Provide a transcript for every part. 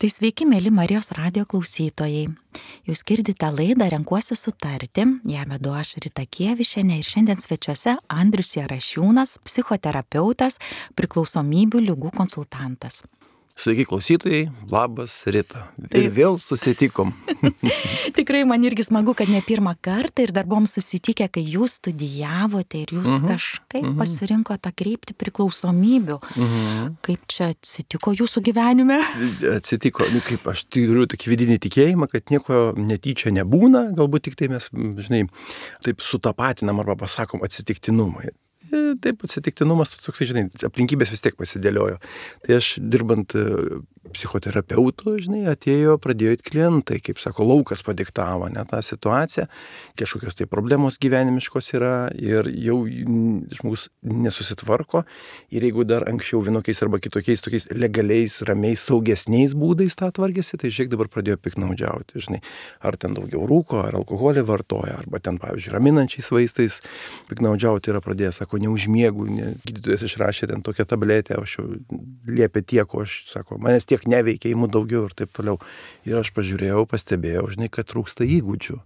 Tai sveiki, mėly Marijos radijo klausytojai. Jūs girdite laidą Renkuosi sutarti, ją vedu aš Rita Kievišienė ir šiandien svečiuose Andrius Jarašiūnas, psichoterapeutas, priklausomybių ligų konsultantas. Sveiki klausytojai, labas Rita. Ir vėl susitikom. Tikrai man irgi smagu, kad ne pirmą kartą ir dar buvom susitikę, kai jūs studijavote ir jūs kažkaip pasirinkote tą kryptį priklausomybių. Kaip čia atsitiko jūsų gyvenime? Atsitiko, kaip aš turiu tokį vidinį tikėjimą, kad nieko netyčia nebūna, galbūt tik tai mes, taip sutapatinam arba pasakom atsitiktinumai. Taip, atsitiktinumas, toks, aplinkybės vis tiek pasidėliojo. Tai aš dirbant psichoterapeutu, pradėjo klientai, kaip sako, laukas padiktavo, tą situaciją, kažkokios tai problemos gyvenimiškos yra ir jau žmogus nesusitvarko ir jeigu dar anksčiau vienokiais arba kitokiais, tokiais legaliais, ramiais, saugesniais būdais tą tvarkėsi, tai žiūrėk dabar pradėjo piknaudžiauti, ar ten daugiau rūko, ar alkoholį vartoja, arba ten, pavyzdžiui, raminančiais vaistais piknaudžiauti yra pradėjęs, sako, neužmiegu, gydytojas išrašė ten tokią tabletę, o aš jau liepė tiek, o aš, sako, manęs tiek neveikia, įmu daugiau ir taip toliau. Ir aš pažiūrėjau, pastebėjau, kad trūksta įgūdžių.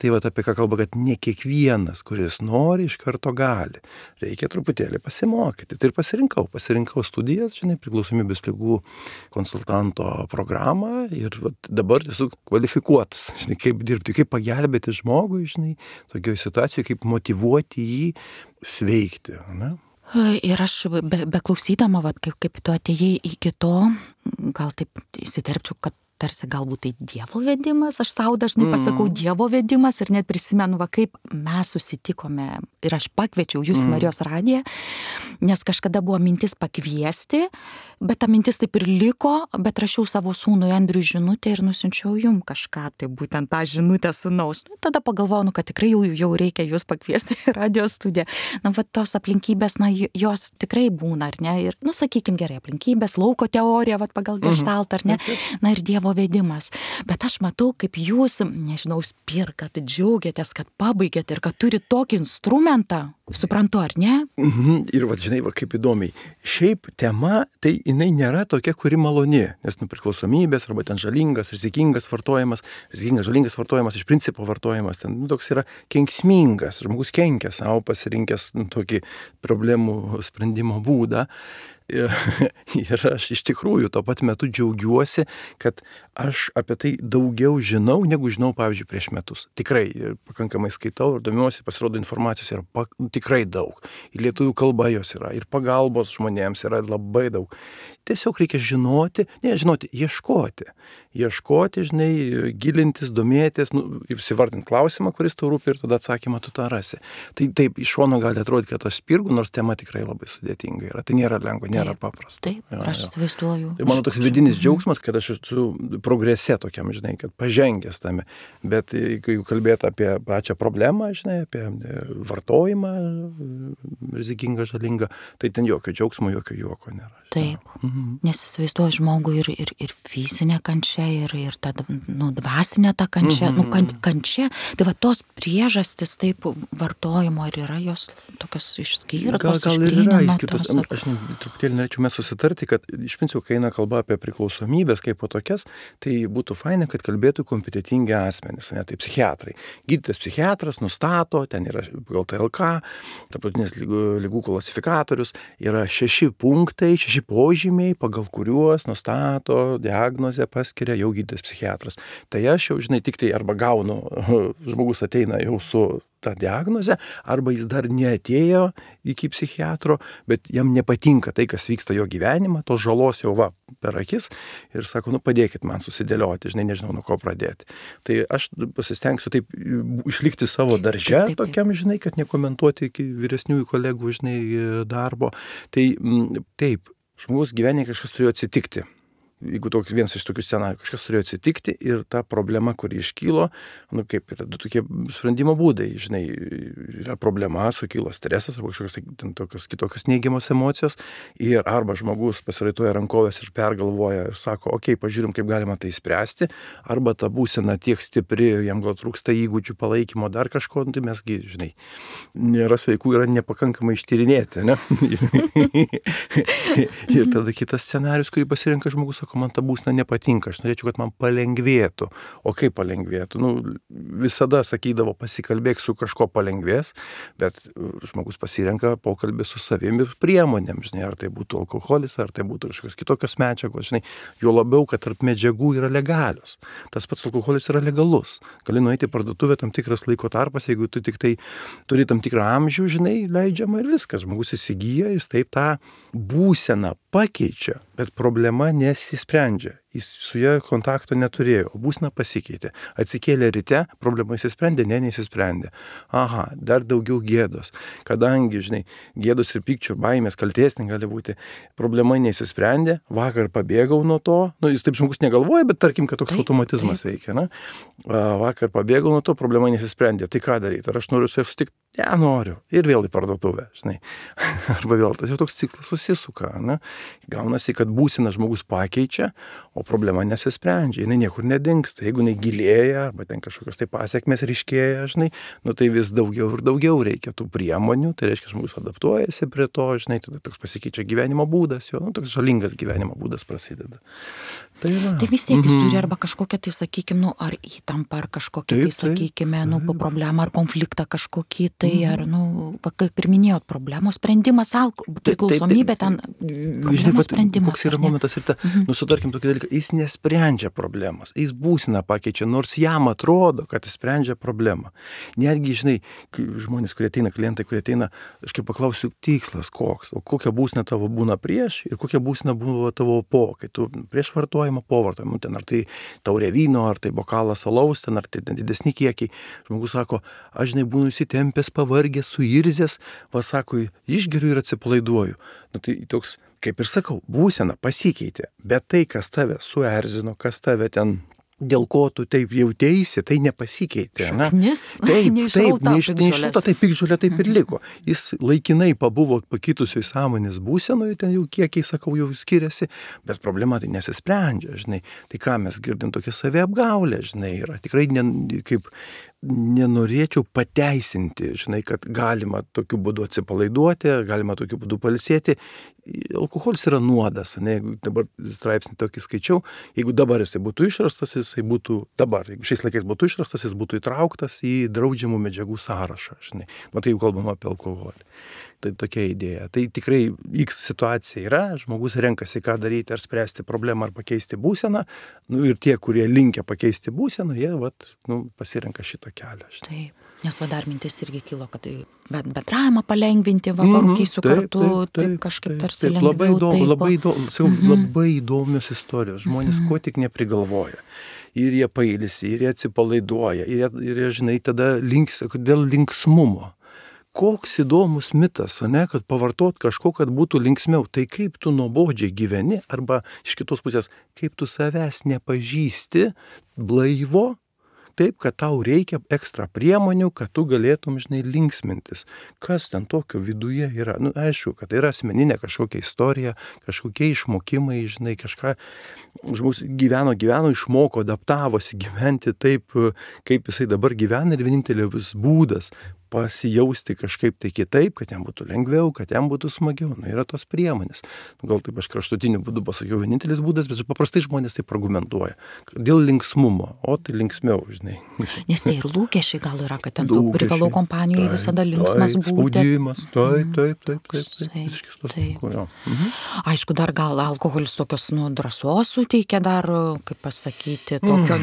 Tai apie ką kalba, kad ne kiekvienas, kuris nori, iš karto gali. Reikia truputėlį pasimokyti. Tai ir pasirinkau studijas, priklausomybės ligų konsultanto programą ir dabar esu kvalifikuotas, kaip dirbti, kaip pagelbėti žmogui, tokioje situacijoje, kaip motyvuoti jį sveikti, ne? Ir aš beklausydama, kaip tu atėjai iki to, gal taip įsiterpčiau, kad tarsi galbūt tai Dievo vedimas, aš sau dažnai pasakau Dievo vedimas ir net prisimenu, kaip mes susitikome ir aš pakviečiau jūs Marijos radiją, nes kažkada buvo mintis pakviesti, bet ta mintis taip ir liko, bet rašiau savo sūnui Andriui žinutę ir nusiunčiau jum kažką, tai būtent tą žinutę sūnaus. Tada pagalvojau, kad tikrai jau reikia jūs pakviesti į radijo studiją. Tos aplinkybės, jos tikrai būna, ar ne? Ir, sakykim gerai, aplinkybės, lauko teorija, pagal Geštaltą, ar ne? Ir Dievo vedimas. Bet aš matau, kaip jūs, spirkat, džiaugiatės, kad pabaigėt ir kad turi tokį instrumentą. Suprantu, ar ne? Ir kaip įdomiai. Šiaip tema, tai jinai nėra tokia, kuri maloni, nes priklausomybės arba ten žalingas, rizikingas vartojimas, žalingas vartojimas, iš principo vartojimas, ten toks yra kenksmingas, žmogus kenkia savo pasirinkęs tokį problemų sprendimo būdą. Ir aš iš tikrųjų tuo pat metu džiaugiuosi, kad aš apie tai daugiau žinau, negu žinau, pavyzdžiui, prieš metus. Tikrai pakankamai skaitau ir domiuosi, pasirodo informacijos yra tikrai daug. Ir lietuvių kalba jos yra, ir pagalbos žmonėms yra labai daug. Tiesiog reikia žinoti, ieškoti, gilintis, domėtis, įsivardinti klausimą, kuris tau rūpi ir tada atsakymą tu tą rasi. Tai taip, iš šono gali atrodyti, kad aš spirgu, nors tema tikrai labai sudėtinga yra. Tai nėra lengva, nėra paprasta. Taip, aš įsivaizduoju. Tai mano toks vidinis džiaugsmas, kad aš esu progrese tokiam, kad pažengęs tame. Bet kai kalbėt apie pačią problemą, apie vartojimą, rizikingą, žalingą, tai ten jokio džiaugsmo, jokio juoko nėra. Taip, nes įsivaizduoju žmogų ir fizinė kančia, ir ta dvasinė ta kančia, kančia. Tai tos priežastis taip vartojimo ir yra jos tokios išskyrtos. Gal ir yra išskirtos. Aš truputėlį norėčiau mes susitarti, kad iš principo, kai eina kalba apie priklausomybės kaip po tokias, tai būtų faina, kad kalbėtų kompetentingi asmenys, tai psichiatrai. Gydytojas psichiatras nustato, ten yra pagal TLK, tarptautinis ligų klasifikatorius, yra 6 punktai, 6 požymiai, pagal kuriuos nustato diagnozę, paskiria jau gydytojas psichiatras. Tai aš jau, tik tai arba gaunu, žmogus ateina jau su tą diagnozę, arba jis dar neatėjo iki psichiatro, bet jam nepatinka tai, kas vyksta jo gyvenimą, tos žalos jau per akis ir sako, padėkit man susidėlioti, nežinau, nuo ko pradėti. Tai aš pasistengsiu taip išlikti savo darže, tokiam, kad nekomentuoti iki vyresniųjų kolegų, darbo. Tai taip, žmogus gyvenime kažkas turėjo atsitikti. Jeigu vienas iš tokių scenarijų, kažkas turėjo atsitikti ir ta problema, kuri iškylo, kaip yra du tokie sprendimo būdai, yra problema, sukilo stresas arba kažkokios kitokios neigiamos emocijos ir arba žmogus pasiraitoja rankovės ir pergalvoja ir sako, pažiūrim, kaip galima tai spręsti, arba ta būsena tiek stipri, jam gal trūksta įgūdžių palaikymo, dar kažko, tai mesgi, nėra sveikų, yra nepakankamai ištyrinėti, ne? Ir tada kitas scenarius, kurį pasirenka žmogus, sako, sako, man ta būsena nepatinka, aš norėčiau, kad man palengvėtų. O kaip palengvėtų? Nu, visada sakydavo, pasikalbėk su kažko palengvės, bet žmogus pasirenka pokalbį su savimi priemonėm, žinai, ar tai būtų alkoholis, ar tai būtų kažkokios kitokios medžiagos, žinai, jo labiau, kad tarp medžiagų yra legalios. Tas pats alkoholis yra legalus. Gali nueiti į parduotuvę tam tikras laiko tarpas, jeigu tu tik tai turi tam tikrą amžių, žinai, leidžiama ir viskas. Žmogus įsigyja, jis taip tą būseną pakeičia, bet problema nesisprendžia. Jis su ja kontakto neturėjo, būsena pasikeitė. Atsikėlė ryte, problema įsisprendė, nesisprendė. Aha, dar daugiau gėdos. Kadangi, žinai, gėdos ir pykčio, baimės, kaltės negali būti, problema nesisprendė, vakar pabėgau nuo to, nu, jis taip žmogus negalvoja, bet tarkim, kad toks automatizmas veikia, na? Vakar pabėgau nuo to, problema nesisprendė, tai ką daryti? Ar aš noriu su ja sutikti? Ja, noriu. Ir vėl į parduotuvę, žinai. Arba vėl tas jau toks ciklas susisuka, ne? Gaunasi, kad būsena žmogus pakeičia, o problema nesisprendžia, jinai niekur nedingsta. Jeigu jinai gilėja, arba ten kažkokios tai pasekmės ryškėja, žinai, nu tai vis daugiau ir daugiau reikia tų priemonių, tai reiškia, žmogus adaptuojasi prie to, žinai, tada toks pasikeičia gyvenimo būdas, jo, nu toks žalingas gyvenimo būdas prasideda. Tai vis tiek jis turi arba kažkokią tai, sakykime, nu, ar įtampą, ar kažkokią tai, sakykime, nu, problemą, ar konfliktą kažkokį, tai ar, nu, kaip ir minėjot, problemos sprendimas, priklausomybė ten, problemos sprendimas. Koks yra momentas ir nu, sutarkim tokį dalyką, jis nesprendžia problemos, jis būseną pakeičia, nors jam atrodo, kad jis sprendžia problemą. Netgi, žinai, žmonės, kurie ateina, klientai, kurie ateina, aš kaip paklausiu, tikslas koks, o kokia būsena tavo būna prieš ir kokia būsena buvo tavo po, kai tu prieš vartojimą, po vartojimą, ten ar tai taurė vyno, ar tai bokalas alaus, ten ar tai didesni kiekiai. Žmogus sako, aš, žinai, būnu įsitempęs, pavargęs, suirzęs, va sako, išgeriu ir atsipalaiduoju. Nu, tai toks, kaip ir sakau, būsena pasikeitė, bet tai, kas tave suerzino, kas tave ten, dėl ko tu taip jauteisi, tai nepasikeitė. Šaknis, neišrauta, tai piktžolė taip ir liko. Jis laikinai pabuvo pakitusioj sąmonės būsenoje, ten jau kiekiai, sakau, jau skiriasi, bet problema tai nesisprendžia, žinai. Tai ką mes girdim, tokia saviapgaulė, žinai, yra tikrai kaip nenorėčiau pateisinti, žinai, kad galima tokiu būdu atsipalaiduoti, galima tokiu būdu pailsėti. Alkoholis yra nuodas, ne, jeigu dabar straipsnį tokį skaičiau, jeigu dabar jisai būtų išrastas, jisai būtų dabar, jeigu šiais laikais būtų išrastas, jis būtų įtrauktas į draudžiamų medžiagų sąrašą, žinai. Matai, jau kalbama apie alkoholį. Tai tokia idėja. Tai tikrai X situacija yra, žmogus renkasi, ką daryti, ar spręsti problemą, ar pakeisti būseną. Nu, ir tie, kurie linkia pakeisti būseną, jie pasirenka šitą kelią. Taip, nes dar mintis irgi kilo, kad bendravimą palengvinti, parūkysiu kartu, taip kažkaip tarsi lengviau. Labai įdomios istorijos. Žmonės ko tik neprigalvoja. Ir jie pailsi, ir jie atsipalaiduoja, ir jie žinai, tada dėl linksmumo. Koks įdomus mitas, ne, kad pavartot kažko, kad būtų linksmiau. Tai kaip tu nuobodžiai gyveni, arba iš kitos pusės, kaip tu savęs nepažįsti blaivo, taip, kad tau reikia ekstra priemonių, kad tu galėtum, žinai, linksmintis. Kas ten tokio viduje yra? Nu, aišku, kad tai yra asmeninė kažkokia istorija, kažkokie išmokimai, žinai, kažką. Žmogus gyveno, išmoko, adaptavosi gyventi taip, kaip jisai dabar gyvena, ir vienintelis būdas pasijausti kažkaip tai kitaip, kad jam būtų lengviau, kad jam būtų smagiau. Nu, yra tos priemonės. Gal taip aš kraštutiniu būdu pasakiau vienintelis būdas, bet paprastai žmonės taip argumentuoja. Dėl linksmumo, o tai linksmiau, žinai. Nes tai ir lūkesčiai gal yra, kad ten privalau kompanijoje visada linksmas būti. Spaudimas, taip. Aišku, dar gal alkoholis tokios, drąsos suteikia dar, kaip pasakyti, tokio,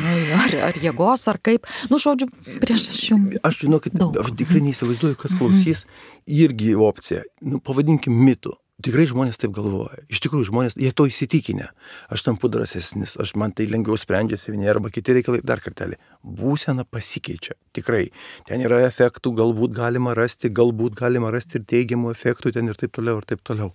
ar jėgos, ar kaip. Žodžiu, prieš aš jums. Aš žinau, kad aš tikrai neįsivaizduoju, kas klausys, irgi opcija. Pavadinkim mitu. Tikrai žmonės taip galvoja. Iš tikrųjų, žmonės, jie to įsitikinę. Aš tampu drąsesnis, man tai lengviau sprendžiasi vieni arba kiti reikalai. Dar kartelį. Būsena pasikeičia. Tikrai. Ten yra efektų, galbūt galima rasti ir teigiamų efektų ten ir taip toliau.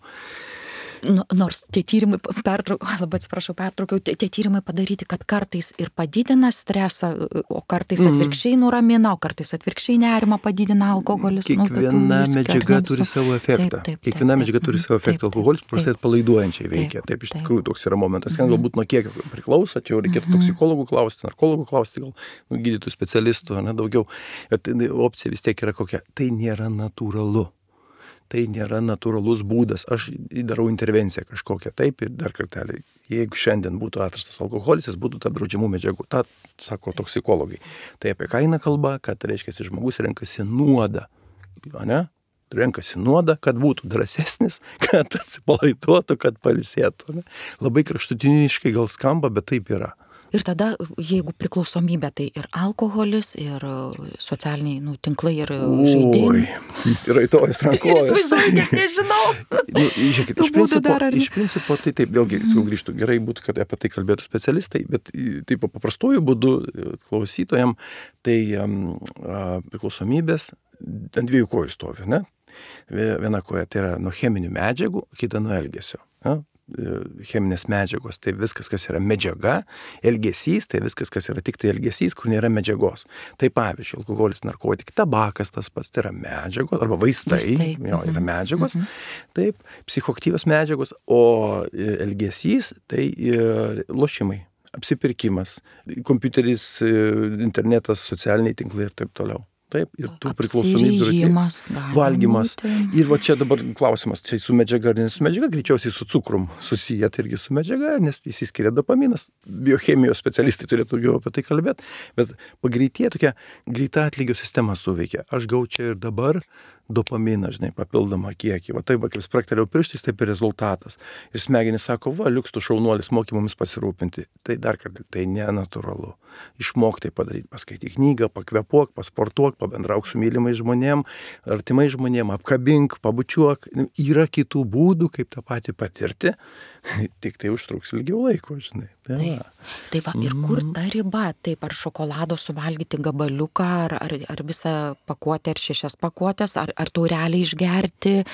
Nors tie tyrimai, pertraukiau, tie tyrimai padaryti, kad kartais ir padidina stresą, o kartais atvirkščiai nuramina, o kartais atvirkščiai nerimą padidina alkoholis. Kiekviena medžiaga turi savo efektą. Kiekviena medžiaga turi savo efektą. Alkoholis paprastai atpalaiduojančiai veikia. Taip, iš tikrųjų toks yra momentas. Ten galbūt nuo kiekio priklauso, čia jau reikėtų toksikologų klausti, narkologų klausti, gal gydytojų specialistų, daugiau. Bet opcija vis tiek yra kokia. Tai nėra natūralu. tai nėra natūralus būdas. Aš darau intervenciją kažkokią taip ir dar kartelį. Jeigu šiandien būtų atrastas alkoholis, jis būtų tarp draudžiamų medžiagų. Ta sako toksikologai. Tai apie ką eina kalba, kad reiškia, žmogus renkasi nuodą. Ne? Renkasi nuodą, kad būtų drąsesnis, kad atsipalaiduotų, kad pailsėtų. Ne? Labai kraštutiniškai gal skamba, bet taip yra. Ir tada, jeigu priklausomybė, tai ir alkoholis, ir socialiniai tinklai, ir žaidimai. Oi, raitojas rankojas. Įsivaizduoju, nežinau. Žiūrėkit, iš principo, tai taip, vėlgi, grįžtų, gerai būtų, kad apie tai kalbėtų specialistai, bet taip paprastuoju būdu klausytojam, tai priklausomybės ant dviejų kojų stovi, ne? Viena koja tai yra nuo cheminių medžiagų, kita nuo elgesio. Ne? Cheminės medžiagos, tai viskas, kas yra medžiaga, elgesys, tai viskas, kas yra tik tai elgesys, kur nėra medžiagos. Tai pavyzdžiui, alkoholis, narkotikai, tabakas tas pats, tai yra medžiagos, arba vaistai. Jo, yra medžiagos, taip, psichoaktyvios medžiagos, o elgesys, tai lošimai, apsipirkimas, kompiuteris, internetas, socialiniai tinklai ir taip toliau. Taip, ir tų priklausomybių. Valgymas. Ir va čia dabar klausimas, čia su medžiaga ar ne su medžiaga, greičiausiai su cukrum susiję, tai irgi su medžiaga, nes įsiskiria dopaminas. Biochemijos specialistai turėtų daugiau apie tai kalbėti, bet pagreitie tokia greita atlygio sistema suveikia. Aš gau čia ir dabar dopaminą, žinai, papildomą kiekį. Va taip, kai spraktelėjau pirštais, taip ir rezultatas. Ir smegenys sako, va, liuks tu šaunuolis, moki mumis pasirūpinti. Tai dar kartą, tai nenatūralu. Išmok tai padaryti, paskaityk knygą, pakvepuok, pasportuok, pabendrauk su mylimais žmonėm, artimai žmonėm, apkabink, pabučiuok. Yra kitų būdų, kaip tą patį patirti, tik tai užtruks ilgiau laiko, žinai. Tai va, ir kur ta riba? Taip, ar šokolado suvalgyti gabaliuką, ar visą pakuotę, ar 6 pakuotės, ar taurelę išgerti,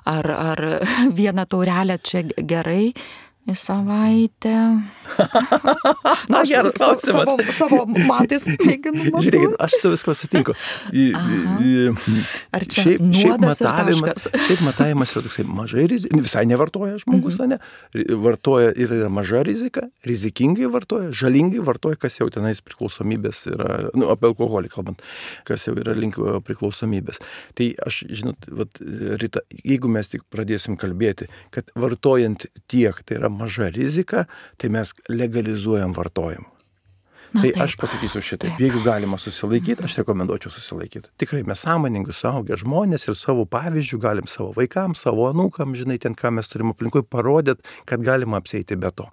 ar vieną taurelę čia gerai į savaitę. Na, geras klausimas. Savo matais mėginu matyti. Žiūrėkit, aš su visko sutinku. Ar čia nuodas ir taškas? Šiaip matavimas yra toksai mažai rizika, visai nevartoja žmogus, ne? Vartoja ir yra maža rizika, rizikingai vartoja, žalingai vartoja, kas jau tenais priklausomybės yra, apie alkoholį kalbant, kas jau yra link priklausomybės. Tai aš, žinot, Rita, jeigu mes tik pradėsim kalbėti, kad vartojant tiek, tai yra maža rizika, tai mes legalizuojam vartojimą. Tai taip. Aš pasakysiu šitaip, jeigu galima susilaikyti, aš rekomenduočiau susilaikyti. Tikrai mes sąmoningai suaugę žmonės ir savo pavyzdžių galim savo vaikams, savo anūkam, žinai, ten ką mes turim aplinkui parodyti, kad galima apsieiti be to.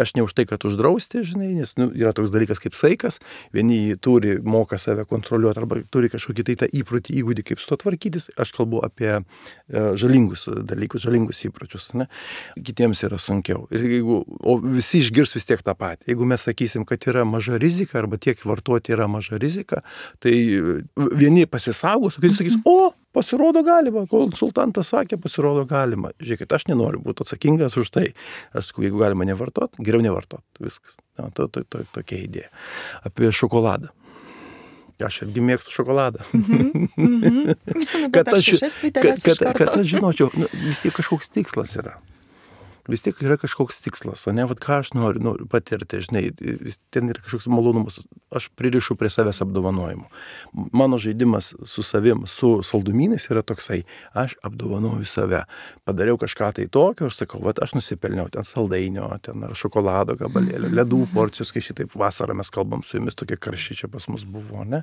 Aš ne už tai, kad uždrausti, žinai, nes yra toks dalykas kaip saikas, vieni turi, moka save kontroliuoti arba turi kažkokį tai tą įprotį, įgūdį, kaip su to tvarkytis. Aš kalbu apie žalingus dalykus, žalingus įpročius, ne? Kitiems yra sunkiau. O visi išgirs vis tiek tą patį. Jeigu mes sakysim, kad yra maža rizika arba tiek vartoti yra maža rizika, tai vieni pasisaugos, o kiti sakys, pasirodo galima, konsultantas sakė, pasirodo galima. Žiūrėkit, aš nenoriu būti atsakingas už tai. Aš sakau, jeigu galima nevartot, geriau nevartot. Viskas. Tokia idėja. Apie šokoladą. Aš irgi mėgstu šokoladą. Kad aš žinočiau, vis tiek kažkoks tikslas yra. Vis tiek yra kažkoks tikslas, ne, ką aš noriu patirti, žinai, ten yra kažkoks malonumas, aš pririšu prie savęs apdovanojimų. Mano žaidimas su savim, su saldumynais yra toksai, aš apdovanoju save. Padariau kažką tai tokio, aš sakau, aš nusipelniau ten saldainio, ten ar šokolado gabalėlio, ledų porcijos, kai šitaip vasarą mes kalbam su jumis, tokie karščiai čia pas mus buvo, ne.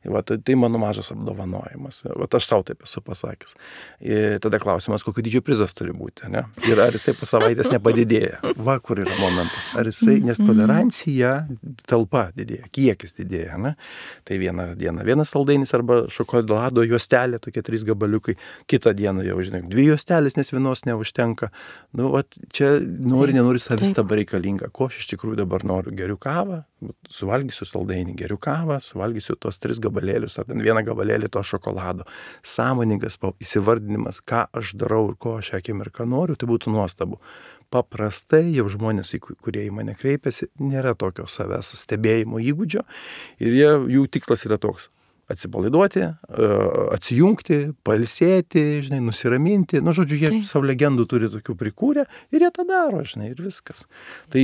Tai mano mažas apdovanojimas. Aš savo taip esu pasakęs. Ir tada klausimas, kokio dydžio prizas turi būti, ne. Ir ar jisai savaitės nepadidėja. Va, kur yra momentas. Ar jisai, nes tolerancija, talpa didėja, kiekis didėja, ne? Tai vieną dieną vienas saldainis arba šokolado juostelė, tokie 3 gabaliukai, kitą dieną jau, žinai, 2 juostelės, nes vienos neužtenka. Čia nenori savistaba reikalinga. Ko aš iš tikrųjų dabar noriu? Geriu kavą, suvalgysiu saldainį, geriu kavą, suvalgysiu tos 3 gabalėlius, ar ten 1 gabalėlį to šokolado. Sąmoningas įsivardinimas, ką aš darau ir ko aš akimirką noriu, tai būtų nuostabu. Paprastai jau žmonės, kurie į mane kreipiasi, nėra tokio savęs stebėjimo įgūdžio ir jų tikslas yra toks. atsipalaiduoti, atsijungti, pailsėti, žinai, nusiraminti. Nu, žodžiu, jie savo legendų turi tokių prikūrę ir jie tą daro, žinai, ir viskas. Tai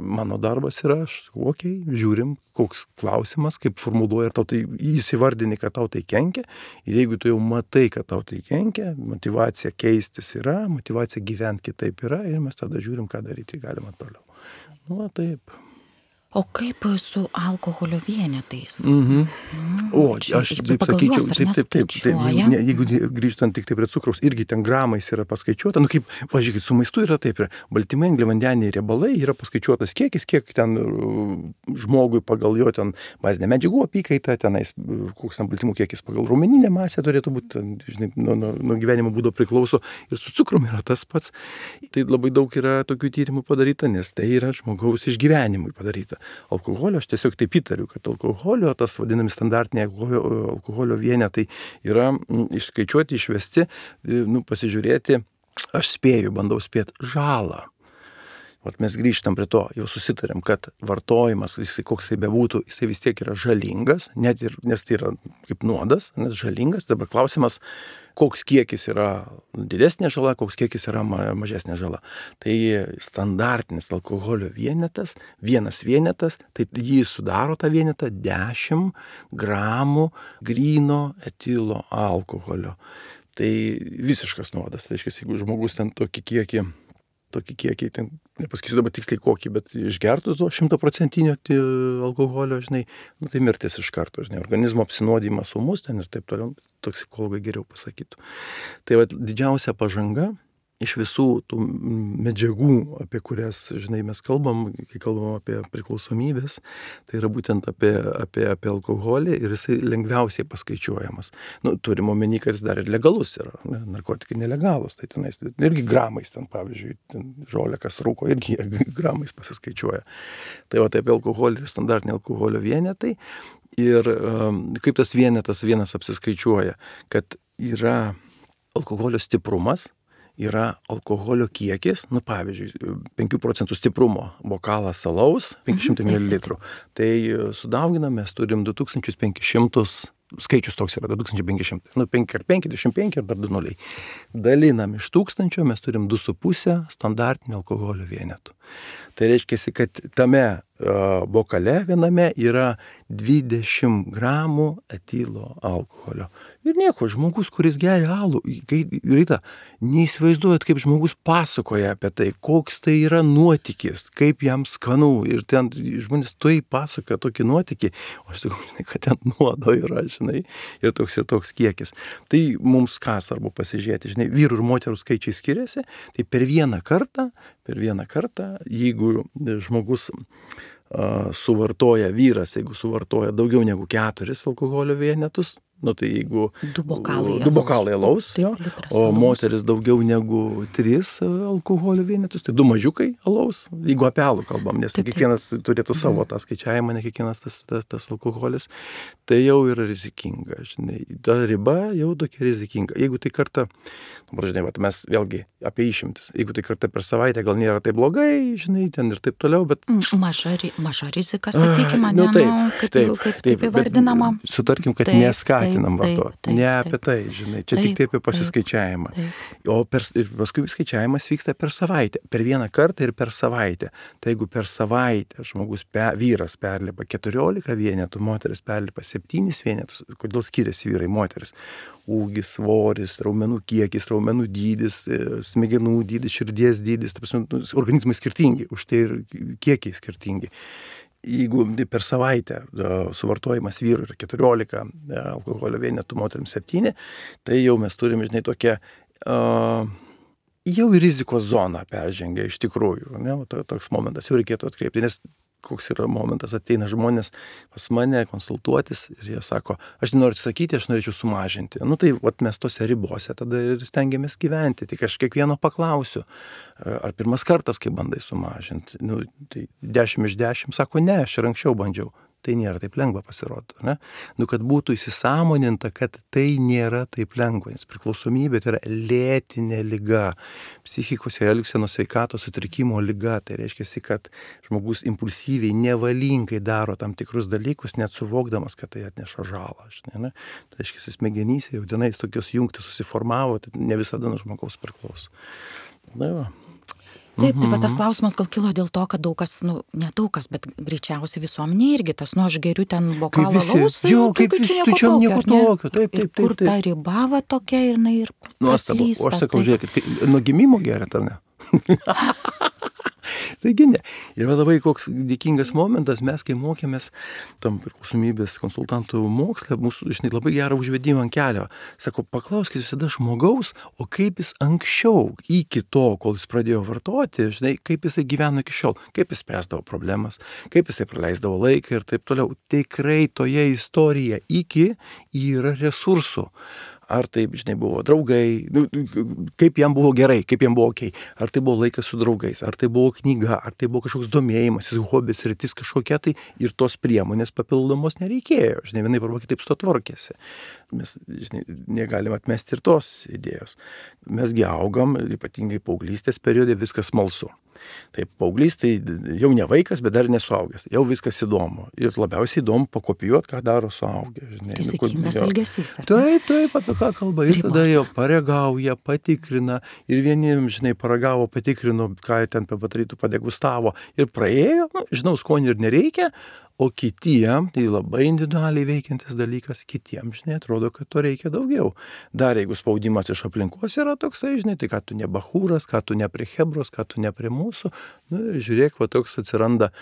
mano darbas yra, žiūrim, koks klausimas, kaip formuluoja, ir tau tai įsivardini, kad tau tai kenkia. Ir jeigu tu jau matai, kad tau tai kenkia, motyvacija keistis yra, motyvacija gyventi kitaip yra, ir mes tada žiūrim, ką daryti galima toliau. Nu, taip. O kaip su alkoholio vienetais? Aš taip sakyčiau, taip. Jeigu grįžtant tik tai prie cukraus, irgi ten gramais yra paskaičiuota. Nu, kaip, pažiūrėkit, su maistu yra taip, baltymai, angliavandeniai, riebalai yra paskaičiuotas kiekis, kiek ten žmogui pagal jo ten bazinę medžiagų apykaitą, tenais koks ten baltymų kiekis pagal raumeninę masę turėtų būti, žinai, nuo gyvenimo būdo priklauso. Ir su cukrum yra tas pats. Tai labai daug yra tokių tyrimų padaryta, nes tai yra žmogaus išgyvenimui padaryta. Alkoholio, aš tiesiog taip įtariu, kad alkoholio, tas vadinami standartiniai alkoholio vienetai yra išskaičiuoti, išvesti, pasižiūrėti, aš spėju, bandau spėti žalą. Vat mes grįžtam prie to, jau susitarėm, kad vartojimas, koks tai bebūtų, jisai vis tiek yra žalingas, net ir, nes tai yra kaip nuodas, nes žalingas. Dabar klausimas, koks kiekis yra didesnė žala, koks kiekis yra mažesnė žala. Tai standartinis alkoholio vienetas, vienas vienetas, tai jį sudaro tą vienetą 10 gramų gryno etilo alkoholio. Tai visiškas nuodas. Tai reiškia, jeigu žmogus ten tokį kiekį, ten, nepasakysiu dabar tiksliai kokį, bet išgertų to 100% alkoholio, žinai, tai mirtis iš karto, žinai, organizmo apsinuodimas ūmus ten ir taip toliau, toksikologai geriau pasakytų. Tai va, didžiausia pažanga iš visų tų medžiagų, apie kurias, žinai, mes kalbam, kai kalbam apie priklausomybės, tai yra būtent apie alkoholį ir jisai lengviausiai paskaičiuojamas. Turim omeny, kad jis dar ir legalus yra, narkotikai nelegalus, tai tenais irgi gramais ten, pavyzdžiui, žolė, kas rūko, irgi gramais pasiskaičiuoja. Tai va, apie alkoholį, standartiniai alkoholio vienetai ir kaip tas vienetas vienas apsiskaičiuoja, kad yra alkoholio stiprumas, yra alkoholio kiekis, pavyzdžiui, 5% stiprumo bokalas alaus, 500 ml. Tai sudauginam, mes turim 2500, skaičius toks yra 2500, 5 ar 5, 25 ar dar 2 nuliai. Dalinam iš 1000, mes turim 2,5 standartinio alkoholio vienetų. Tai reiškia, kad tame bokale viename yra 20 gramų etilo alkoholio. Ir nieko, žmogus, kuris geria alų, Rita, neįsivaizduojat, kaip žmogus pasakoja apie tai, koks tai yra nuotykis, kaip jam skanu. Ir ten žmonės tai pasakoja tokį nuotykį, o aš sakau, žinai, kad ten nuodo yra, žinai, ir toks kiekis. Tai mums ką svarbu pasižiūrėti, žinai, vyrų ir moterų skaičiai skiriasi, tai per vieną kartą, jeigu žmogus suvartoja, vyras, jeigu suvartoja daugiau negu 4 alkoholio vienetus, tai jeigu 2 bokalai alaus, o moteris daugiau negu 3 alkoholio vienetus, tai 2 mažiukai alaus, jeigu apie alų kalbam, nes kiekvienas turėtų savo tą skaičiavimą, ne kiekvienas tas alkoholis, tai jau yra rizikinga, žinai, ta riba jau tokia rizikinga. Jeigu tai kartą, žinai, mes vėlgi apie išimtis, jeigu tai kartą per savaitę gal nėra taip blogai, žinai, ten ir taip toliau, bet maža rizika, sakykime, kaip įvardinama. Sutarkim, kad neskatinam vartoti. Ne apie tai, žinai, čia tik tai apie pasiskaičiavimą. O paskui skaičiavimas vyksta per savaitę. Per vieną kartą ir per savaitę. Tai jeigu per savaitę žmogus, vyras perlipa 14 vienetų, moteris perlipa 7 vienetus, kodėl skiriasi vyrai, moteris? Ūgis, svoris, raumenų kiekis, raumenų dydis, smegenų dydis, širdies dydis, organizmai skirtingi, už tai ir kiekiai skirtingi. Jeigu per savaitę suvartojimas vyrų yra 14 alkoholio vienetų, moterims 7, tai jau mes turime, žinai, tokią jau į rizikos zoną peržengę iš tikrųjų. Ne? Toks momentas jau reikėtų atkreipti, nes koks yra momentas, ateina žmonės pas mane konsultuotis ir jie sako, aš nenoriu sakyti, aš norėčiau sumažinti. Tai mes tose ribose tada ir stengiamės gyventi. Tik aš kiekvieno paklausiu, ar pirmas kartas, kai bandai sumažinti. Tai 10 iš 10 sako, ne, aš ir anksčiau bandžiau. tai nėra taip lengva pasirodo, ne? Nu, kad būtų įsisąmoninta, kad tai nėra taip lengva, nes priklausomybė tai yra lėtinė liga, psichikos ir elgsenos sveikatos sutrikimo liga, tai reiškia, kad žmogus impulsyviai, nevalingai daro tam tikrus dalykus, net suvokdamas, kad tai atneša žalą, žinai, ne? Tai reiškia, smegenyse jau tenais tokios jungtys susiformavo, tai ne visada nuo žmogaus priklauso. Na, va. Taip, tai va tas klausimas gal kilo dėl to, kad daug kas, ne daug kas, bet greičiausiai visuomenė irgi tas, aš geriu ten bokalą alaus. Jo, kaip visi, tu čia nieko tokio, taip. Kur ta riba va tokia ir praslysta. O aš sakau, žiūrėkit, nuo gimimo geriat, ar ne? Taigi ne. Ir labai koks dėkingas momentas, mes kai mokėmės tam priklausomybės konsultantų moksle, mūsų, žinai, labai gerą užvedimą ant kelio. Sako, paklauskit visada žmogaus, o kaip jis anksčiau, iki to, kol jis pradėjo vartoti, žinai, kaip jisai gyveno iki šiol, kaip jis spręsdavo problemas, kaip jisai praleisdavo laiką ir taip toliau. Tikrai toje istorijoje iki yra resursų. Ar tai, žinai, buvo draugai, kaip jam buvo gerai, kaip jam buvo okei, ar tai buvo laikas su draugais, ar tai buvo knyga, ar tai buvo kažkoks domėjimasis, hobis, rytis kažkokia, tai ir tos priemonės papildomos nereikėjo, žinai, vienaip arba kitaip su to tvarkėsi. Mes, žinai, negalim atmesti ir tos idėjos. Mesgi augam, ypatingai paauglystės periode, viskas smalsu. Taip, paauglys tai jau ne vaikas, bet dar nesuaugęs. Jau viskas įdomu. Ir labiausiai įdomu pakopijuoti, ką daro suaugę. Rizikingas elgesys. Taip, apie ką kalba. Ir tada jau paregauja, patikrina. Ir vieniem, žinai, paragavo, patikrino, ką ten padarytų, padegustavo. Ir praėjo, žinau, skonį ir nereikia. O kitiem, tai labai individualiai veikiantis dalykas, kitiem, žinai, atrodo, kad to reikia daugiau. Dar jeigu spaudimas iš aplinkos yra toksai, žinai, tai ką tu ne bachūras, ką tu ne prie Hebros, ką tu ne prie mūsų, žiūrėk, va toks atsiranda,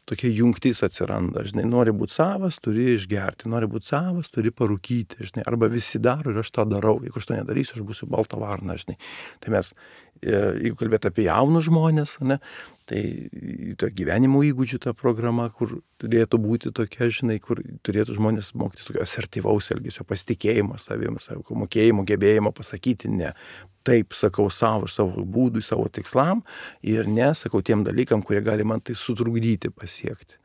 tokia jungtis atsiranda, žinai, nori būti savas, turi išgerti, nori būti savas, turi parūkyti, žinai, arba visi daro ir aš tą darau, jeigu aš to nedarysiu, aš būsiu balta varna, žinai. Tai mes, jeigu kalbėt apie jaunus žmonės, ne, tai to gyvenimo įgūdžių ta programa, kur turėtų būti tokia, žinai, kur turėtų žmonės mokytis tokio asertyvaus elgesio, pasitikėjimo savimi, savo mokėjimo, gebėjimo pasakyti ne. Taip sakau savo ir savo būdui, savo tikslam ir ne, sakau tiem dalykam, kurie gali man tai sutrukdyti pasiekti.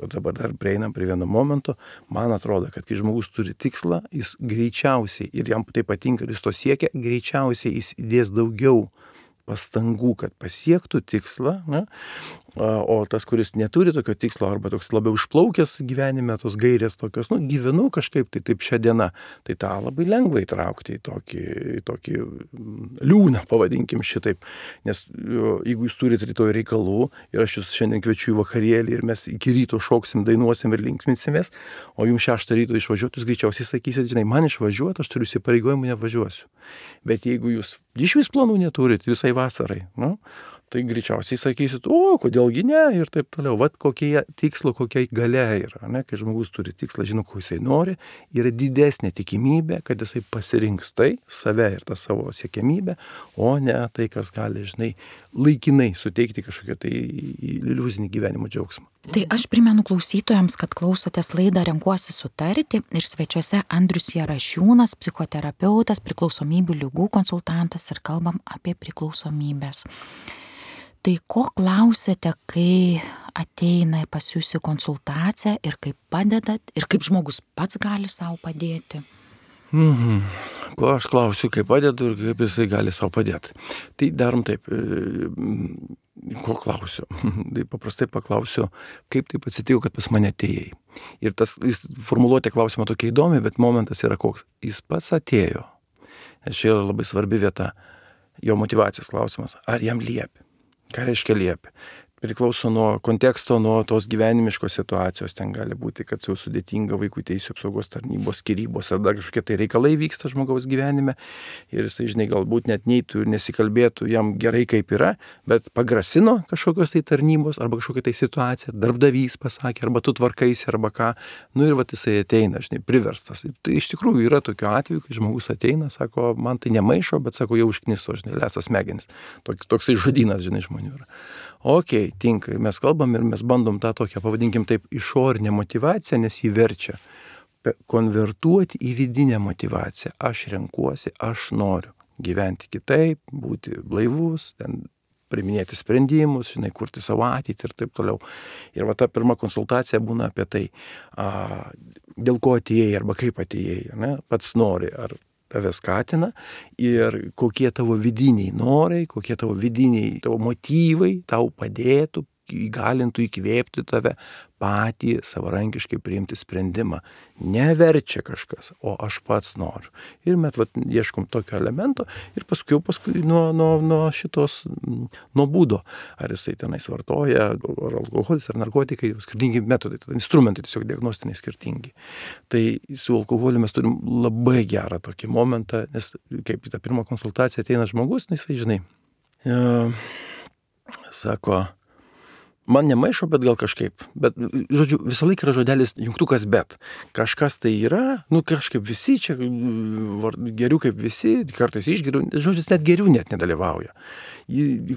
O dabar dar prieinam prie vieno momento, man atrodo, kad kai žmogus turi tikslą, jis greičiausiai, ir jam tai patinka, ir jis to siekia, greičiausiai jis įdės daugiau pastangų, kad pasiektų tikslą, ne? O tas, kuris neturi tokio tikslo arba toks labiau išplaukęs gyvenime, tos gairės tokios, gyvenu kažkaip tai taip šią dieną, tai tą labai lengva įtraukti į tokį liūną, pavadinkim šitaip. Nes jeigu jūs turite rytoj reikalų ir aš jūs šiandien kviečiu į vakarėlį ir mes iki ryto šoksim, dainuosim ir linksminsimės, o jums 6 ryto išvažiuoti, jūs greičiausiai sakysit, žinai, man išvažiuoti, aš turiu įsipareigojimų, nevažiuosiu. Bet jeigu jūs išvis planų neturit visai vasarai, tai greičiausiai sakysit, o, kodėlgi ne, ir taip toliau. Vat kokie tikslo, kokia galia yra, ne? Kai žmogus turi tikslą, žino, ko jisai nori, yra didesnė tikimybė, kad jisai pasirinks tai, save ir tą savo siekiamybę, o ne tai, kas gali, žinai, laikinai suteikti kažkokią tai iliuzinį gyvenimo džiaugsmą. Tai aš primenu klausytojams, kad klausotės laidą Renkuosi sutarti ir svečiuose Andrius Jarašiūnas, psichoterapeutas, priklausomybių ligų konsultantas ir kalbam apie priklausomybės. Tai ko klausėte, kai ateina pas jūs į konsultaciją ir kaip padedat ir kaip žmogus pats gali savo padėti? Ko aš klausiu, kaip padedu ir kaip jisai gali savo padėti. Tai darom taip, ko klausiu. Tai paprastai paklausiu, kaip taip atsitiko, kad pas mane atėjai. Ir jis formuluotė klausimą tokia įdomi, bet momentas yra koks. Jis pats atėjo. Nes čia yra labai svarbi vieta, jo motyvacijos klausimas. Ar jam liepi? Ką reiškia liepi? Priklauso nuo konteksto, nuo tos gyvenimiškos situacijos. Ten gali būti, kad jau sudėtinga vaikų teisių apsaugos tarnybos, skyrybos, ar dar kažkokie tai reikalai vyksta žmogaus gyvenime. Ir jisai, žinai, galbūt net neitų ir nesikalbėtų jam gerai kaip yra, bet pagrasino kažkokios tai tarnybos arba kažkokia tai situacija, darbdavys pasakė, arba tu tvarkaisi, arba ką. Ir vat jisai ateina, žinai, priverstas. Tai iš tikrųjų yra tokių atvejų, kai žmogus ateina, sako, man tai nemaišo, bet sako, jau užkniso, žinai, lesa smegenis. Toksai žodynas, žinai, žmonių yra. Okei, tinka, mes kalbam ir mes bandom tą tokią, pavadinkim taip, išorinę motyvaciją, nes jį verčia konvertuoti į vidinę motyvaciją. Aš renkuosi, aš noriu gyventi kitaip, būti blaivus, ten priiminėti sprendimus, žinai, kurti savo ateitį ir taip toliau. Ir va ta pirma konsultacija būna apie tai, dėl ko atėjai arba kaip atėjai, ne? Pats nori, ar tave skatina ir kokie tavo vidiniai norai, kokie tavo vidiniai tavo motyvai tau padėtų, įgalintų, įkvėpti tave patį savarankiškai priimti sprendimą. Neverčia kažkas, o aš pats noriu. Ir mes ieškom tokio elemento ir paskui nuo šitos, nuo būdo, ar jisai tenais vartoja, ar alkoholis, ar narkotikai, skirtingi metodai, instrumentai tiesiog diagnostiniai skirtingi. Tai su alkoholiu mes turim labai gerą tokį momentą, nes kaip į tą pirmą konsultaciją ateina žmogus, jisai, žinai, sako, man nemaišo, bet gal kažkaip. Bet, žodžiu, visą laiką yra žodelis jungtukas bet. Kažkas tai yra, kažkaip visi čia geriau kaip visi, kartais išgeriu, žodžiu, net geriau net nedalyvauja.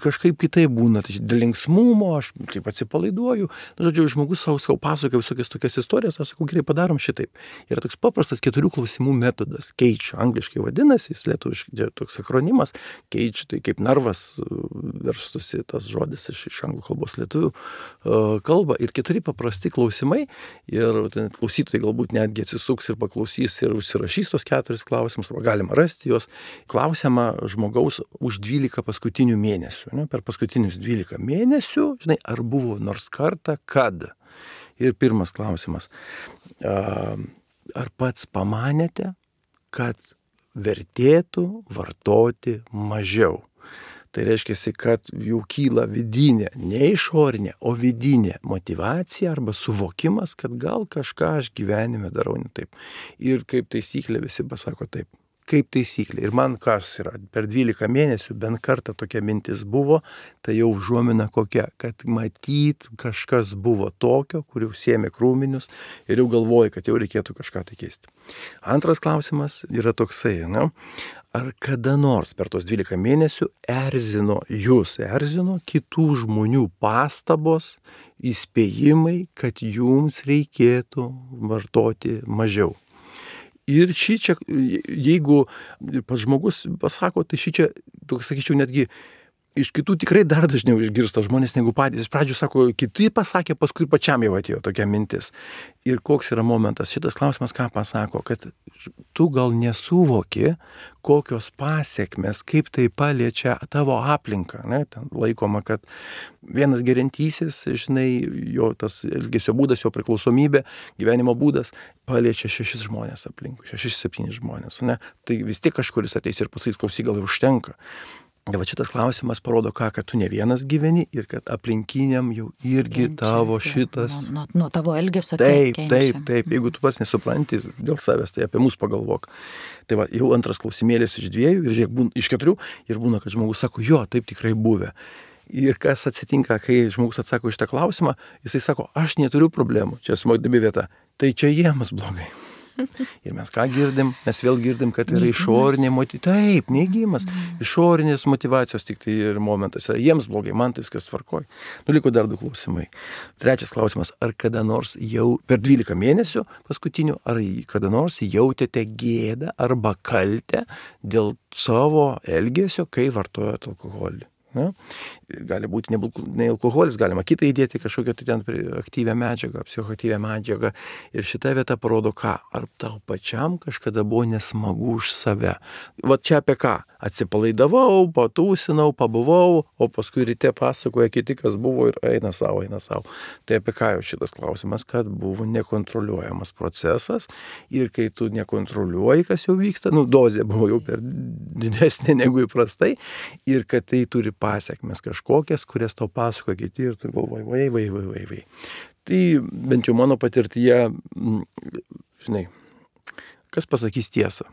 Kažkaip kitaip būna, tai dėl linksmumo, aš taip atsipalaiduoju. Žodžiu, žmogus savo pasakoja visokias tokias istorijas, aš sakau, gerai, padarom šitaip. Yra toks paprastas 4 klausimų metodas, keičiu, angliškai vadinasi, jis lietuviškai toks akronimas, keičiu, tai kaip narvas verstusi tas žodis iš anglų kalbos lietuvių kalbą ir 4 paprasti klausimai ir klausytojai galbūt netgi atsisuks ir paklausys ir užsirašys tos 4 klausimus, arba galima rasti juos. Klausiama žmogaus už 12 paskutinių mėnesių. Ne? Per paskutinius 12 mėnesių, žinai, ar buvo nors kartą, kad. Ir pirmas klausimas. Ar pats pamanėte, kad vertėtų vartoti mažiau? Tai reiškia, kad jau kyla vidinė, ne išorinė, o vidinė motyvacija arba suvokimas, kad gal kažką aš gyvenime darau ne taip. Ir kaip taisyklė visi pasako taip. Kaip taisyklė. Ir man kas yra, per 12 mėnesių bent kartą tokia mintis buvo, tai jau užuomina kokia, kad matyt kažkas buvo tokio, kur jau sėmė krūminius ir jau galvoja, kad jau reikėtų kažką tai keisti. Antras klausimas yra toksai, ne? Ar kada nors per tos 12 mėnesių erzino kitų žmonių pastabos, įspėjimai, kad jums reikėtų vartoti mažiau? Ir šičia, jeigu pats žmogus pasako, tai šičia, toks sakyčiau, netgi iš kitų tikrai dar dažniau išgirsta žmonės negu patys. Iš pradžių sako, kiti pasakė, paskui pačiam jau atėjo tokia mintis. Ir koks yra momentas? Šitas klausimas ką pasako, kad tu gal nesuvoki, kokios pasiekmes, kaip tai paliečia tavo aplinką. Ne? Ten laikoma, kad vienas geriantysis, žinai, jo tas elgesio būdas, jo priklausomybė, gyvenimo būdas paliečia 6 žmonės aplinkui, 6-7 žmonės. Ne? Tai vis tiek kažkuris ateis ir pasakys, klausyk, gal jau užtenka. Ir va šitas klausimas parodo kad tu ne vienas gyveni ir kad aplinkiniam jau irgi kenčia, tavo šitas... Nuo tavo elgesio kenčia. Taip. Jeigu tu pats nesupranti dėl savęs, tai apie mus pagalvok. Tai va, jau antras klausimėlis iš 2 ir žiūrėk, iš 4 ir būna, kad žmogus sako, jo, taip tikrai buvę. Ir kas atsitinka, kai žmogus atsako iš tą klausimą, jisai sako, aš neturiu problemų, čia smagdabi vieta, tai čia jiems blogai. Ir mes ką girdim? Mes vėl girdim, kad yra išorinė motyvacija. Taip, neigimas. Išorinės motyvacijos tik tai ir momentas. Jiems blogai, man tai viskas tvarkoj. Liko dar 2 klausimai. 3 klausimas. Ar kada nors jau per 12 mėnesių paskutinių, ar kada nors jautėte gėdą arba kaltę dėl savo elgesio, kai vartojate alkoholį? Ne? Gali būti ne alkoholis, galima kitą įdėti kažkokią tai ten aktyvią medžiagą, psichoaktyvią medžiagą. Ir šita vieta parodo ką? Ar tau pačiam kažkada buvo nesmagu už save? Va čia apie ką? Atsipalaidavau, patūsinau, pabuvau, o paskui ryte pasakoja kiti, kas buvo ir eina savo. Tai apie ką jau šitas klausimas, kad buvo nekontroliuojamas procesas ir kai tu nekontroliuoji, kas jau vyksta, dozė buvo jau per didesnė negu įprastai ir kad tai turi pasiekmes kažkokias, kurias tau pasakoja kiti ir tu galvoji, vai. Tai bent jau mano patirtyje, žinai, kas pasakys tiesą?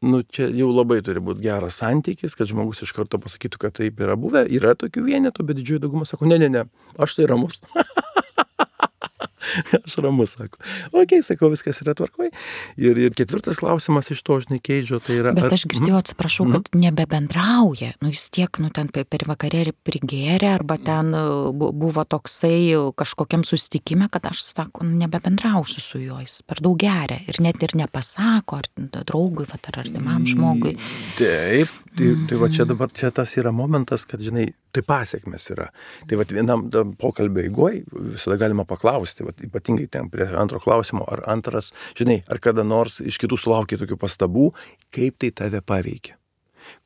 Čia jau labai turi būti geras santykis, kad žmogus iš karto pasakytų, kad taip yra buvę. Yra tokių vienetų, bet didžioji dauguma sako, ne, aš tai ramus. Aš ramus, sako. Ok, sakau, viskas yra tvarkoj. Ir 4 klausimas iš to, žinai, Keidžo, tai yra... Bet aš girdėjau, atsiprašau, kad nebebendrauja. Jis tiek, ten per vakarėlį prigėrė, arba ten buvo toksai kažkokiam susitikime, kad aš, sako, nebebendrausiu su juo, jis per daug geria. Ir net ir nepasako, ar draugui, ar artimam žmogui. Taip, Tai va čia tas yra momentas, kad, žinai, tai pasiekmes yra. Tai va vienam pokalbio eigoj visada galima paklausti, va, ypatingai ten prie antro klausimo, ar antras, žinai, ar kada nors iš kitų sulaukia tokių pastabų, kaip tai tave paveikia.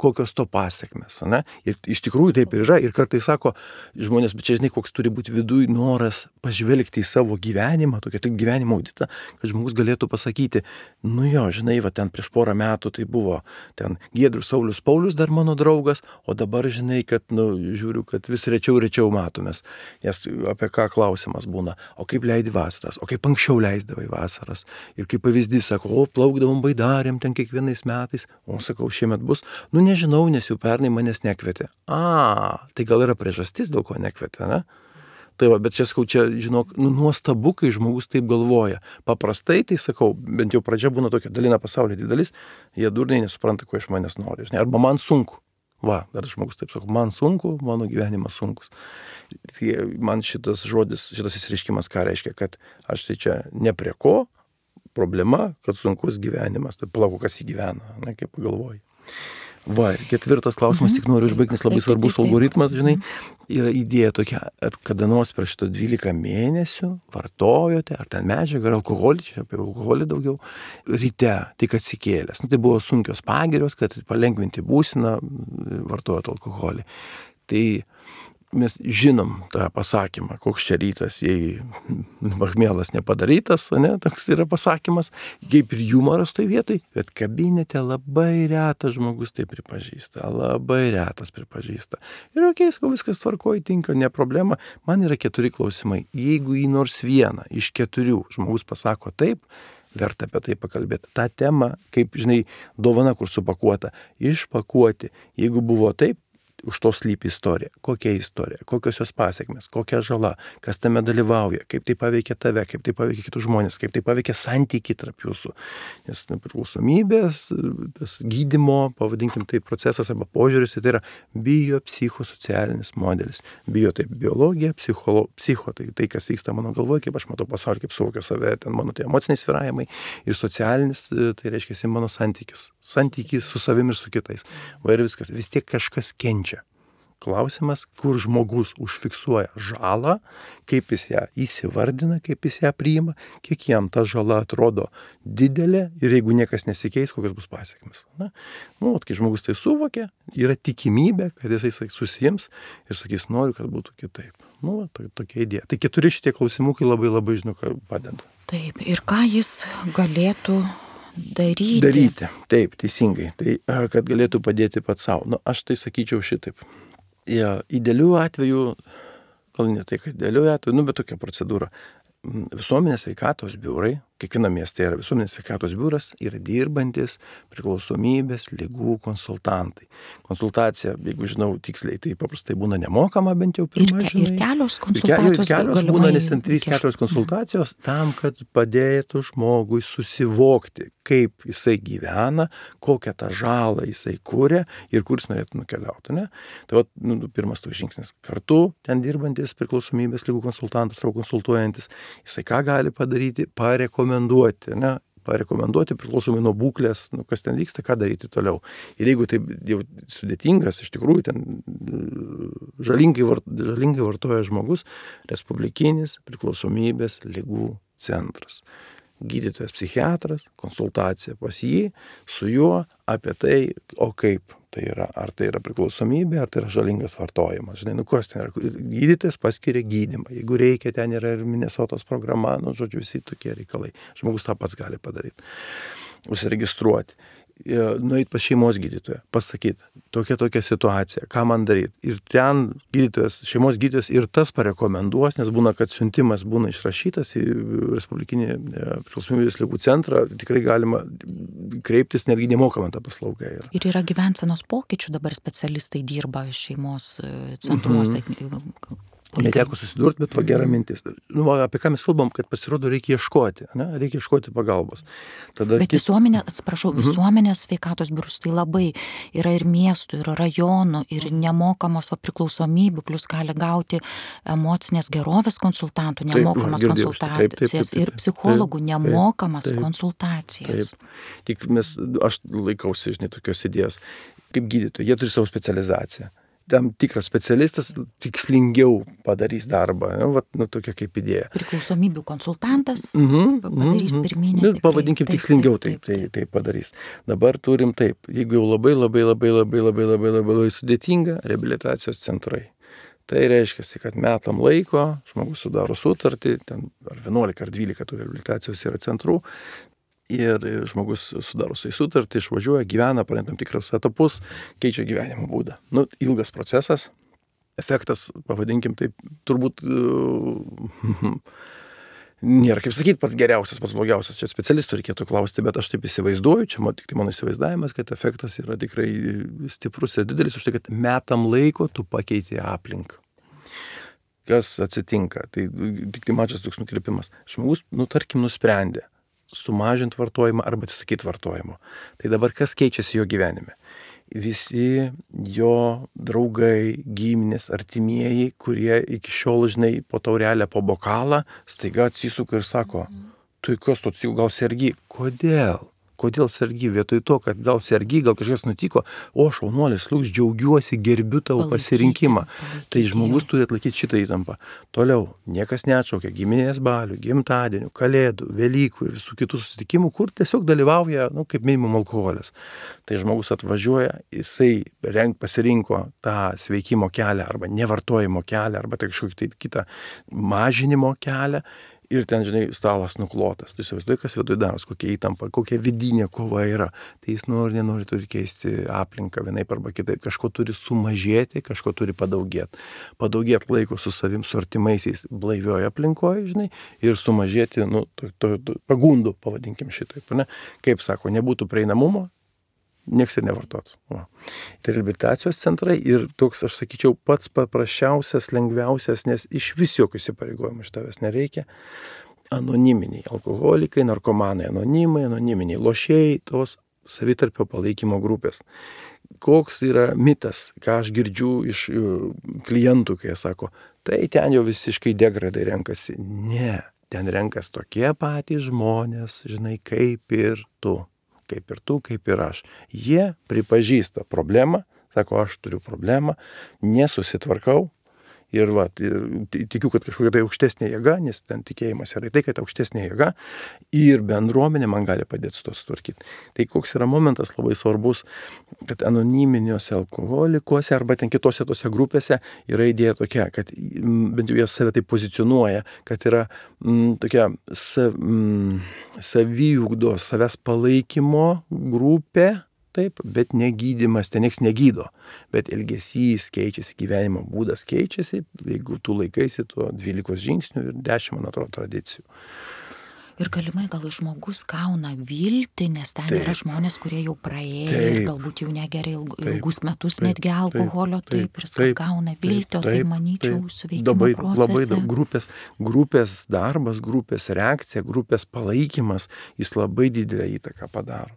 Kokios to pasiekmes, ne? Ir iš tikrųjų taip ir yra. Ir kartais sako žmonės, bet čia, žinai, koks turi būti viduj noras pažvelgti į savo gyvenimą, tokia tik gyvenimo auditą, kad žmogus galėtų pasakyti, nu jo, žinai, va ten prieš porą metų tai buvo ten Giedrius Saulius Paulius dar mano draugas, o dabar, žinai, kad, nu, žiūriu, kad vis rečiau matomės. Nes apie ką klausimas būna, o kaip leidi vasaras, o kaip anksčiau leisdavai vasaras. Ir kaip pavyzdys, sako, o plaukdavom Baidarėm ten kiekvienais metais, o sakau, šiemet bus. Nu, nežinau, nes jau pernai manęs nekvietė. Tai gal yra priežastis, dėl ko nekvietė, ne? Tai va, bet čia, sakau, čia, žinok, nuostabu, kai žmogus taip galvoja. Paprastai, tai sakau, bent jau pradžia būna tokia dalina pasaulio didelis, jie durniai nesupranta, ko iš manęs nori. Žinai, arba man sunku. Va, dar žmogus taip sako, man sunku, mano gyvenimas sunkus. Tai man šitas žodis, šitas įsireiškimas, ką reiškia, kad aš tai čia ne prie ko, problema, kad sunkus gyvenimas. Tai palauk, kas jį gyvena, ne, kaip pagalvoji. Va, ketvirtas klausimas, tik noriu užbaigti, nes labai svarbus algoritmas, žinai, yra idėja tokia, ar kada nors per šitos 12 mėnesių vartojote, ar ten medžiagą, ar alkoholį, čia apie alkoholį daugiau, ryte, tik atsikėlęs. Nu, tai buvo sunkios pagirios, kad palengvinti būseną, vartojot alkoholį. Tai mes žinom tą pasakymą, koks čia rytas, jei machmielas nepadarytas, ne, toks yra pasakymas, kaip ir jumoras toj vietoj, bet kabinete labai retas žmogus tai pripažįsta, labai retas pripažįsta. Ir sakau, viskas tvarkoj, tinka, ne problema. Man yra 4 klausimai. Jeigu į nors vieną iš 4 žmogus pasako taip, verta apie tai pakalbėti. Ta tema, kaip, žinai, dovana, kur supakuota, išpakuoti. Jeigu buvo taip, už to slypi istorija. Kokia istorija, kokios jos pasiekmes, kokia žala, kas tame dalyvauja, kaip tai paveikia tave, kaip tai paveikia kitus žmonės, kaip tai paveikia santykį tarp jūsų. Nes priklausomybės, tas gydymo, pavadinkim tai procesas arba požiūris, tai yra biopsichosocialinis modelis. Bio tai biologija, psicho tai kas vyksta mano galvoje, kaip aš matau pasaulį, kaip suvokiu save, ten mano tai emociniai svyravimai ir socialinis, tai reiškia mano santykis su savimi ir su kitais. Va ir viskas, vis tiek kažkas kenčia. Klausimas, kur žmogus užfiksuoja žalą, kaip jis ją įsivardina, kaip jis ją priima, kiek jam ta žala atrodo didelė ir jeigu niekas nesikeis, kokios bus pasiekmes. Nu, kai žmogus tai suvokia, yra tikimybė, kad jisai susiims ir sakys, noriu, kad būtų kitaip. Nu, tokia idėja. Tai 4 šitie klausimukai labai, žinau, ką padeda. Taip, ir ką jis galėtų daryti. Taip, teisingai. Tai, kad galėtų padėti pats savo. Nu, aš tai sakyčiau šitaip. Idealių atveju, gal ne tai, kad idealių atveju, bet tokia procedūra. Visuomenės sveikatos biurai, kiekviena mieste yra visuomenės sveikatos biuras, yra dirbantis priklausomybės ligų konsultantai. Konsultacija, jeigu žinau tiksliai, tai paprastai būna nemokama, bent jau pirmą, žinai. Ir kelios konsultacijos. Kelios būna, nes ten 3-4 konsultacijos tam, kad padėtų žmogui susivokti, kaip jisai gyvena, kokią tą žalą jisai kuria ir kur jis norėtų nukeliauti. Ne? Tai vat, pirmas toks žingsnis. Kartu ten dirbantis priklausomybės ligų konsultantas arba konsultuojantis, jisai ką gali padaryti, parekomenduoti, ne? Parekomenduoti priklausomai nuo būklės, kas ten vyksta, ką daryti toliau. Ir jeigu tai jau sudėtingas, iš tikrųjų ten žalingai vartoja žmogus, Respublikinis priklausomybės ligų centras. Gydytojas psichiatras, konsultacija pas jį, su juo apie tai, o kaip tai yra, ar tai yra priklausomybė, ar tai yra žalingas vartojimas. Žinai, kas ten yra, gydytojas paskiria gydymą, jeigu reikia, ten yra ir Minnesotos programa, žodžiu, visi tokie reikalai. Žmogus tą pats gali padaryti, užsiregistruoti. Nueit pas šeimos gydytoją, pasakyti, tokia situacija, ką man daryti. Ir ten šeimos gydytojas ir tas parekomenduos, nes būna, kad siuntimas būna išrašytas į Respublikinį priklausomybės ligų centrą, tikrai galima kreiptis, netgi nemokama ta paslauga yra. Ir yra gyvensenos pokyčių, dabar specialistai dirba šeimos centruose. Neteko susidurti, bet gera mintis. Apie ką mes kalbam, kad pasirodo reikia ieškoti, ne? Reikia ieškoti pagalbos. Tada bet visuomenės sveikatos biurus tai labai yra ir miestų, ir rajonų, ir nemokamos priklausomybių, plus gali gauti emocinės gerovės konsultantų, nemokamas konsultacijas ir psichologų nemokamas konsultacijas. Taip. Tik aš laikausi, žinai, tokios idėjos. kaip gydytojai, jie turi savo specializaciją. Tam tikras specialistas tikslingiau padarys darbą, tokia kaip idėja. Priklausomybių konsultantas padarys pirminį. Pavadinkim tikslingiau tai padarys. Dabar turim taip, jeigu jau labai sudėtinga, reabilitacijos centrai. Tai reiškia, kad metam laiko žmogus sudaro sutartį, ten ar 11 ar 12 tų reabilitacijos yra centrų, ir žmogus sudaro su sutartį, išvažiuoja, gyvena, praeina tam tikrus etapus, keičia gyvenimo būdą. Ilgas procesas, efektas, pavadinkim taip, turbūt nėra, kaip sakyti, pats geriausias, pats blogiausias, čia specialistų reikėtų klausti, bet aš taip įsivaizduoju, čia tik tai mano įsivaizdavimas, kad efektas yra tikrai stiprus ir didelis, už tai, kad metam laiko tu pakeiti aplinką. Kas atsitinka? Tai tik tai mažas toks nukrypimas. Žmogus, tarkim, nusprendė sumažinti vartojimą arba atsisakyti vartojimo. Tai dabar kas keičiasi jo gyvenime? Visi jo draugai, giminės, artimieji, kurie iki šiol, žinai, po taurelę, po bokalą, staiga atsisuka ir sako, tu kas tu gal sergi? Kodėl? Kodėl sergi? Vietoj to, kad gal sergi, gal kažkas nutiko, o šaunuolis, Liuks, džiaugiuosi, gerbiu tavo pasirinkimą. Tai žmogus turi atlaikyti šitą įtampą. Toliau, niekas neatšaukia giminės balių, gimtadienių, kalėdų, Velykų ir visų kitų susitikimų, kur tiesiog dalyvauja, kaip minimum alkoholis. Tai žmogus atvažiuoja, jisai pasirinko tą sveikimo kelią arba nevartojimo kelią arba tai kažkokį kitą mažinimo kelią. Ir ten, žinai, stalas nuklotas. Tu įsivaizduoji, kas viduj daros, kokia įtampa, kokia vidinė kova yra. Tai jis nenori turi keisti aplinką vienaip arba kitaip. Kažko turi sumažėti, kažko turi padaugėti. Padaugėti laiko su savim, su artimaisiais blaivioje aplinkoje, žinai, ir sumažėti, pagundų, pavadinkim šitaip, ne? Kaip sako, nebūtų prieinamumo, nieks ir nevartotų. Tai reabilitacijos centrai ir toks, aš sakyčiau, pats paprasčiausias, lengviausias, nes iš vis jokių įsipareigojimų iš tavęs nereikia. Anoniminiai alkoholikai, narkomanai, anoniminiai lošėjai, tos savitarpio palaikymo grupės. Koks yra mitas, ką aš girdžiu iš klientų, kai jie sako, tai ten jau visiškai degradai renkasi. Ne, ten renkas tokie patys žmonės, žinai, kaip ir tu. Kaip ir tu, kaip ir aš. Jie pripažįsta problemą, sako, aš turiu problemą, nesusitvarkau ir tikiu, kad kažkokia tai aukštesnė jėga, nes ten tikėjimas yra tai, kad aukštesnė jėga ir bendruomenė man gali padėti su to sutvarkyti. Tai koks yra momentas labai svarbus, kad anoniminiuose alkoholikuose arba ten kitose tose grupėse yra idėja tokia, kad bent jau jie save taip pozicionuoja, kad yra tokia saviugdos, savęs palaikymo grupė, taip, bet negydymas, ten nieks negydo, bet elgesys keičiasi, gyvenimo būdas keičiasi, jeigu tu laikaisi tuo 12 žingsnių ir 10, man atrodo, tradicijų. Ir galimai gal žmogus gauna viltį, nes ten yra žmonės, kurie jau praėjo ir galbūt jau negeria ilgus metus netgi alkoholio, ir jis gauna viltį, o tai manyčiau suveikimo procese. Labai daug grupės darbas, grupės reakcija, grupės palaikymas, jis labai didelę įtaką padaro.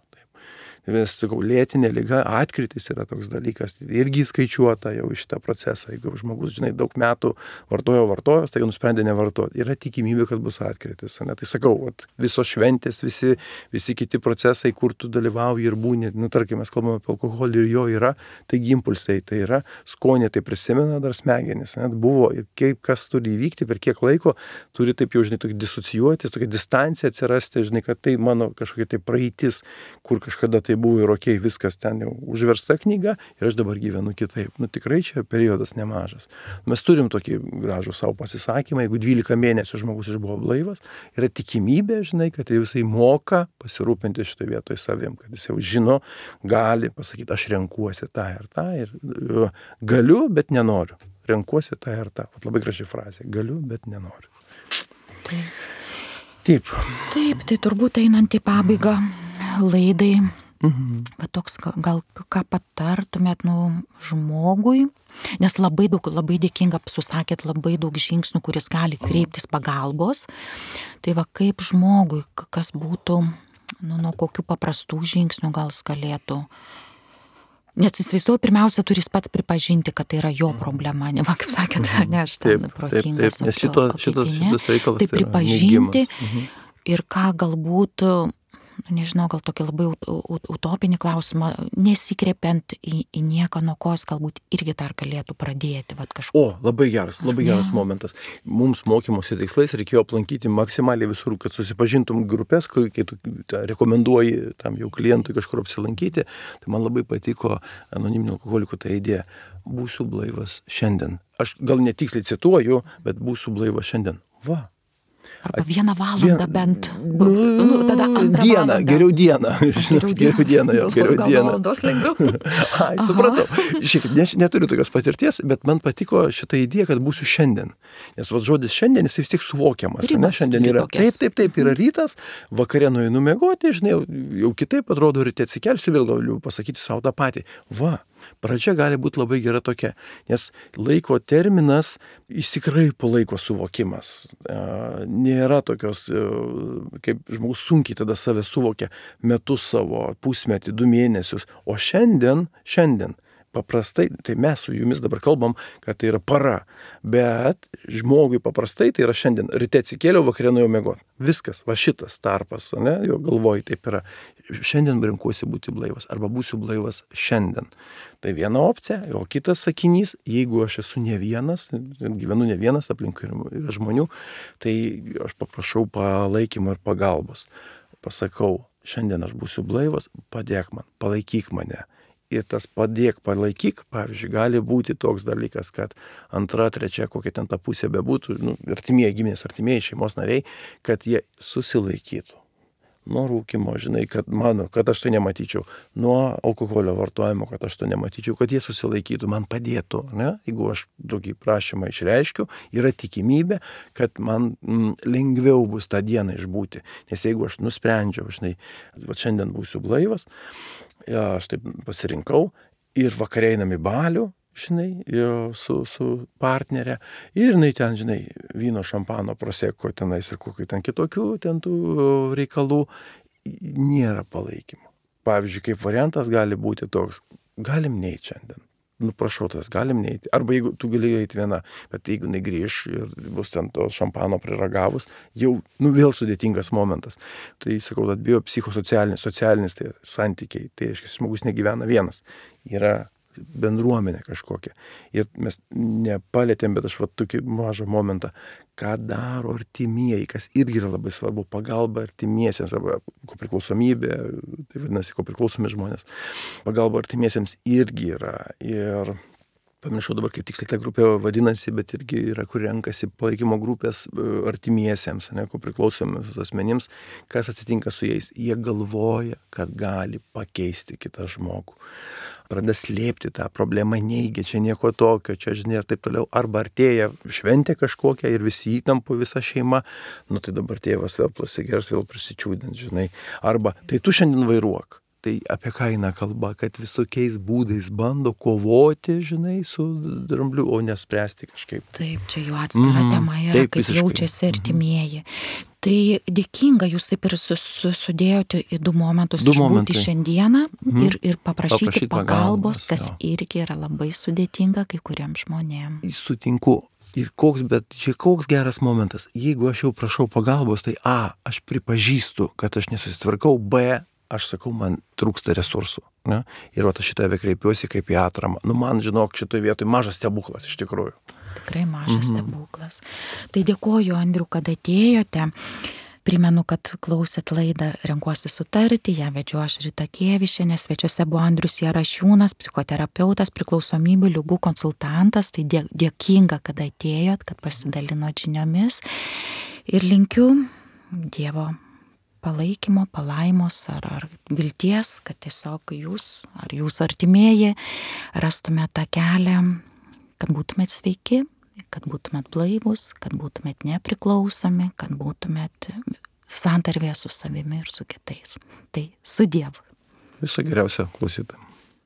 Vis, sakau, lėtinė liga, atkritis yra toks dalykas, irgi skaičiuota jau iš šitą procesą. Jeigu žmogus, žinai, daug metų vartojo, tai jau nusprendė nevartoti. Yra tikimybė, kad bus atkritis. Ne? Tai sakau, visos šventės, visi kiti procesai, kur tu dalyvauji ir būni, tarkim, mes kalbame apie alkoholį ir jo yra, taigi impulsai, tai yra skonį, tai prisimena dar smegenis. Net buvo ir kaip kas turi įvykti, per kiek laiko turi taip jau, žinai, tokį disocijuotis, tokia distancija atsirasti, žinai, kad tai mano kažkokia tai praeitis, kur kažkada tai buvo ir okei, viskas ten jau užversta knyga ir aš dabar gyvenu kitaip. Tikrai čia periodas nemažas. Mes turim tokį gražų savo pasisakymą, jeigu 12 mėnesių žmogus išbuvo blaivas, yra tikimybė, žinai, kad jisai moka pasirūpinti šitoje vietoje savim, kad jis jau žino, gali pasakyti, aš renkuosi tą ir tą ir galiu, bet nenoriu. Renkuosi tą ir tą. Labai graži frazė. Galiu, bet nenoriu. Taip, tai turbūt einant į pabaigą laidai, bet toks gal ką patartumėt žmogui, nes labai dėkinga, susakėt labai daug žingsnių, kuris gali kreiptis pagalbos. Tai kaip žmogui, kas būtų, nuo kokių paprastų žingsnių gal galėtų. Nes įsivaizduoju, pirmiausia, turi jis pats pripažinti, kad tai yra jo problema, ne, kaip sakėt, ne aš ten protingas. Šitas reikalas tai pripažinti ir ką galbūt nežinau, gal tokį labai utopinį klausimą, nesikreipiant į nieką, nuo ko jis galbūt irgi dar galėtų pradėti. Labai geras momentas. Mums mokymosi tikslais reikėjo aplankyti maksimaliai visur, kad susipažintum grupės, kai tu rekomenduoji tam jau klientui kažkur apsilankyti. Tai man labai patiko anoniminio alkoholiko ta idėja. Būsiu blaivas šiandien. Aš gal netiksliai cituoju, bet būsiu blaivas šiandien. Va. Arba 1 valandą bent. Tada 2 dieną, geriau dieną. Geriau dieną. Gal valandos lengviau. Supratau. Šiaip, neturiu tokios patirties, bet man patiko šitą idėją, kad būsiu šiandien. Nes žodis šiandien, jis vis tiek suvokiamas. Šiandien yra taip, yra rytas, vakare nueinu miegoti, žinai, jau kitaip atrodo, ryte atsikelsiu, vėl galiu pasakyti savo tą patį. Va. Pradžia gali būti labai gera tokia, nes laiko terminas išsikraipo laiko suvokimas. Nėra tokios, kaip žmogus sunkiai tada save suvokia metus savo, pusmetį, 2 mėnesius, o šiandien, paprastai, tai mes su jumis dabar kalbam, kad tai yra para, bet žmogui paprastai tai yra šiandien. Ryte atsikėliau, vakare nuėjau miegoti. Viskas, va šitas tarpas, ne, jo galvoj taip yra. Šiandien renkuosi būti blaivas, arba būsiu blaivas šiandien. Tai viena opcija, o kitas sakinys, jeigu aš esu ne vienas, gyvenu ne vienas, aplinkui yra žmonių, tai aš paprašau palaikymo ir pagalbos. Pasakau, šiandien aš būsiu blaivas, padėk man, palaikyk mane. Ir tas padėk, palaikyk, pavyzdžiui, gali būti toks dalykas, kad 2, 3, kokia ten ta pusė bebūtų, artimieji giminės, artimieji šeimos nariai, kad jie susilaikytų nuo rūkymo, žinai, kad aš to nematyčiau, nuo alkoholio vartojimo, kad aš to nematyčiau, kad jie susilaikytų, man padėtų, ne? Jeigu aš tokį prašymą išreiškiu, yra tikimybė, kad man lengviau bus tą dieną išbūti. Nes jeigu aš nusprendžiau, žinai, šiandien būsiu blaivas, aš taip pasirinkau ir vakare einam į balių, žinai, su partnerė ir jinai ten, žinai, vyno, šampano, proseko tenais ir kokių ten kitokių ten tų reikalų, nėra palaikymo. Pavyzdžiui, kaip variantas gali būti toks, galim neiti šiandien. Prašau, tas galim neiti. Arba jeigu tu gali eiti viena, bet jeigu negrįš ir bus ten to šampano priragavus, jau vėl sudėtingas momentas. Tai sakau, kad biopsichosocialinis tai santykiai, tai reiškia, žmogus negyvena vienas. Yra bendruomenė kažkokia. Ir mes nepalėtėm, bet aš tokį mažą momentą, ką daro artimieji, kas irgi yra labai svarbu, pagalba artimiesiems, arba kopriklausomybė, tai vadinasi, kopriklausomi žmonės. Pagalba artimiesiems irgi yra. Ir pamiršau dabar, kaip tiksliai ta grupė vadinasi, bet irgi yra, kur renkasi palaikymo grupės artimiesiems, kopriklausomiams asmenims. Kas atsitinka su jais? Jie galvoja, kad gali pakeisti kitą žmogų. Pradeda slėpti tą problemą, neigia, čia nieko tokio, čia žinai ir taip toliau. Arba artėja šventė kažkokia ir visi įtampo, visa šeima, tai dabar tėvas vėl prasigers, vėl prisičiūdint, žinai. Arba tai tu šiandien vairuok. Tai apie ką eina kalba, kad visokiais būdais bando kovoti, žinai, su drambliu, o nespręsti kažkaip. Taip, čia jau atskira tema yra, taip, kaip visiškai jaučiasi artimieji. Tai dėkinga, jūs taip ir sudėjote į 2 momentus išbūti šiandieną ir paprašyti pagalbos, kas irgi yra labai sudėtinga kai kuriems žmonėms. Sutinku. Ir koks geras momentas. Jeigu aš jau prašau pagalbos, tai aš pripažįstu, kad aš nesusitvarkau, aš sakau, man trūksta resursų. Ne? Ir aš šitą kreipiuosi kaip į atramą. Man, žinok, šitoje vietoje mažas stebuklas iš tikrųjų. Tikrai mažas stebuklas. Tai dėkoju, Andriu, kad atėjote. Primenu, kad klausėt laidą Renkuosi sutarti, ją vedžiau aš Rita Kėvišienė, svečiuose buvo Andrius Jarašiūnas, psichoterapeutas, priklausomybių ligų konsultantas, tai dėkinga, kad atėjot, kad pasidalinot žiniomis ir linkiu Dievo palaikymo, palaimos ar vilties, kad tiesiog jūs ar jūsų artimieji rastumėt tą kelią, kad būtumėt sveiki, kad būtumėt blaivus, kad būtumėt nepriklausomi, kad būtumėt santarvėje su savimi ir su kitais. Tai su Dievu. Viso geriausio klausytojams.